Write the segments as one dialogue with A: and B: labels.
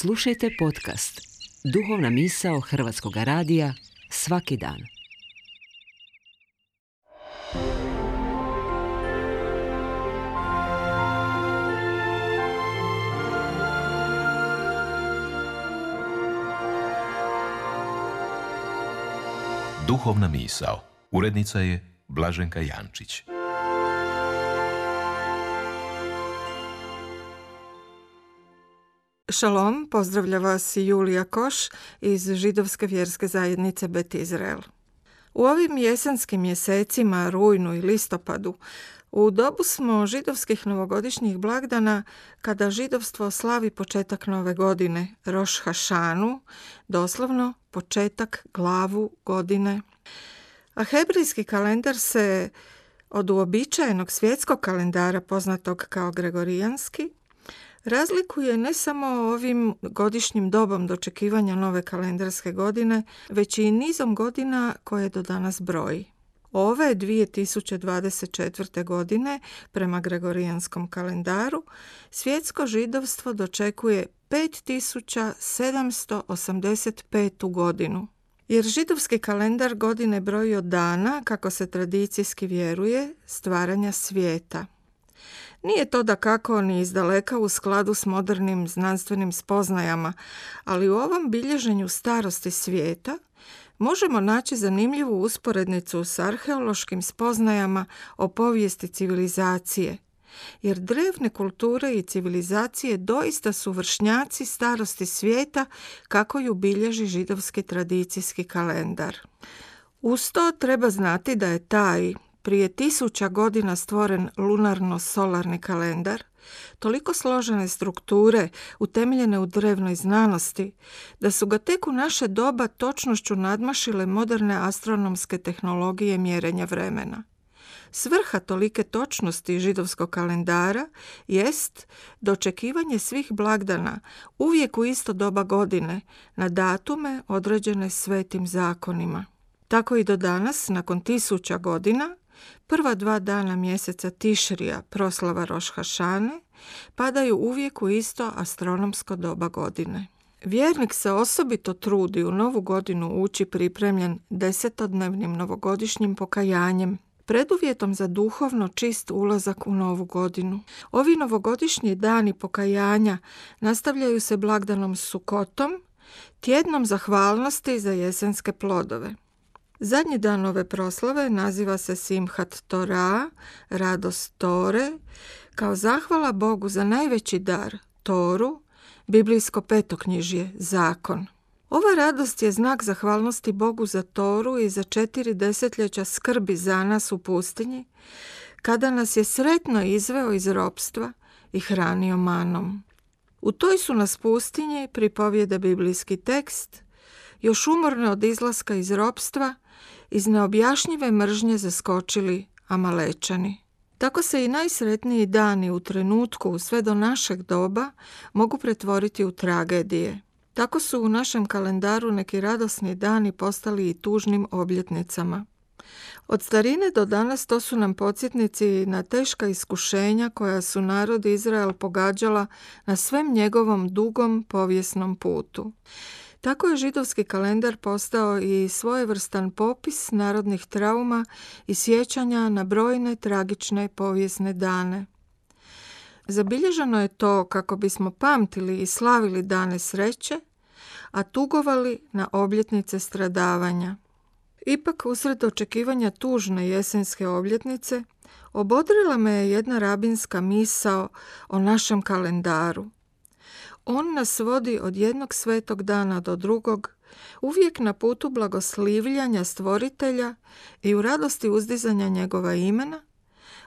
A: Slušajte podcast Duhovna misao Hrvatskog radija svaki dan.
B: Duhovna misao. Urednica je Blaženka Jančić.
C: Šalom, pozdravlja vas Julija Koš iz Židovske vjerske zajednice Bet Izrael. U ovim jesenskim mjesecima, rujnu i listopadu, u dobu smo židovskih novogodišnjih blagdana kada židovstvo slavi početak nove godine, Roš Hašanu, doslovno početak, glavu godine. A hebrejski kalendar se od uobičajenog svjetskog kalendara poznatog kao gregorijanski razlikuje ne samo ovim godišnjim dobom dočekivanja nove kalendarske godine, već i nizom godina koje do danas broji. Ove 2024. godine, prema gregorijanskom kalendaru, svjetsko židovstvo dočekuje 5785. godinu. Jer židovski kalendar godine broji od dana, kako se tradicijski vjeruje, stvaranja svijeta. Nije to dakako ni izdaleka u skladu s modernim znanstvenim spoznajama, ali u ovom bilježenju starosti svijeta možemo naći zanimljivu usporednicu s arheološkim spoznajama o povijesti civilizacije, jer drevne kulture i civilizacije doista su vršnjaci starosti svijeta kako ju bilježi židovski tradicijski kalendar. Uz to treba znati da je taj prije 1000 godina stvoren lunarno-solarni kalendar, toliko složene strukture utemeljene u drevnoj znanosti, da su ga tek u naše doba točnošću nadmašile moderne astronomske tehnologije mjerenja vremena. Svrha tolike točnosti židovskog kalendara jest dočekivanje svih blagdana uvijek u isto doba godine na datume određene svetim zakonima. Tako i do danas, nakon 1000 godina, prva 2 dana mjeseca Tišrija, proslava Roš Hašane, padaju uvijek u isto astronomsko doba godine. Vjernik se osobito trudi u novu godinu ući pripremljen 10-dnevnim novogodišnjim pokajanjem, preduvjetom za duhovno čist ulazak u novu godinu. Ovi novogodišnji dani pokajanja nastavljaju se blagdanom Sukotom, tjednom zahvalnosti za jesenske plodove. Zadnji dan ove proslave naziva se Simhat Torah, radost Tore, kao zahvala Bogu za najveći dar, Toru, biblijsko petoknjižje, zakon. Ova radost je znak zahvalnosti Bogu za Toru i za 4 desetljeća skrbi za nas u pustinji, kada nas je sretno izveo iz ropstva i hranio manom. U toj su nas pustinji, pripovijeda biblijski tekst, još umorne od izlaska iz ropstva, iz neobjašnjive mržnje zaskočili Amalečani. Tako se i najsretniji dani u trenutku sve do našeg doba mogu pretvoriti u tragedije. Tako su u našem kalendaru neki radosni dani postali i tužnim obljetnicama. Od starine do danas to su nam podsjetnici na teška iskušenja koja su narod Izrael pogađala na svem njegovom dugom povijesnom putu. Tako je židovski kalendar postao i svojevrstan popis narodnih trauma i sjećanja na brojne tragične povijesne dane. Zabilježeno je to kako bismo pamtili i slavili dane sreće, a tugovali na obljetnice stradavanja. Ipak, usred očekivanja tužne jesenske obljetnice, obodrila me je jedna rabinska misao o našem kalendaru. On nas vodi od jednog svetog dana do drugog, uvijek na putu blagoslivljanja stvoritelja i u radosti uzdizanja njegova imena,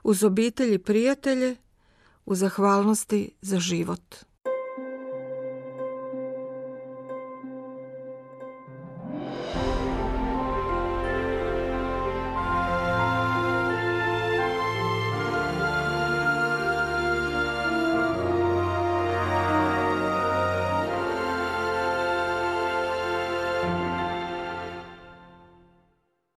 C: uz obitelj i prijatelje, u zahvalnosti za život.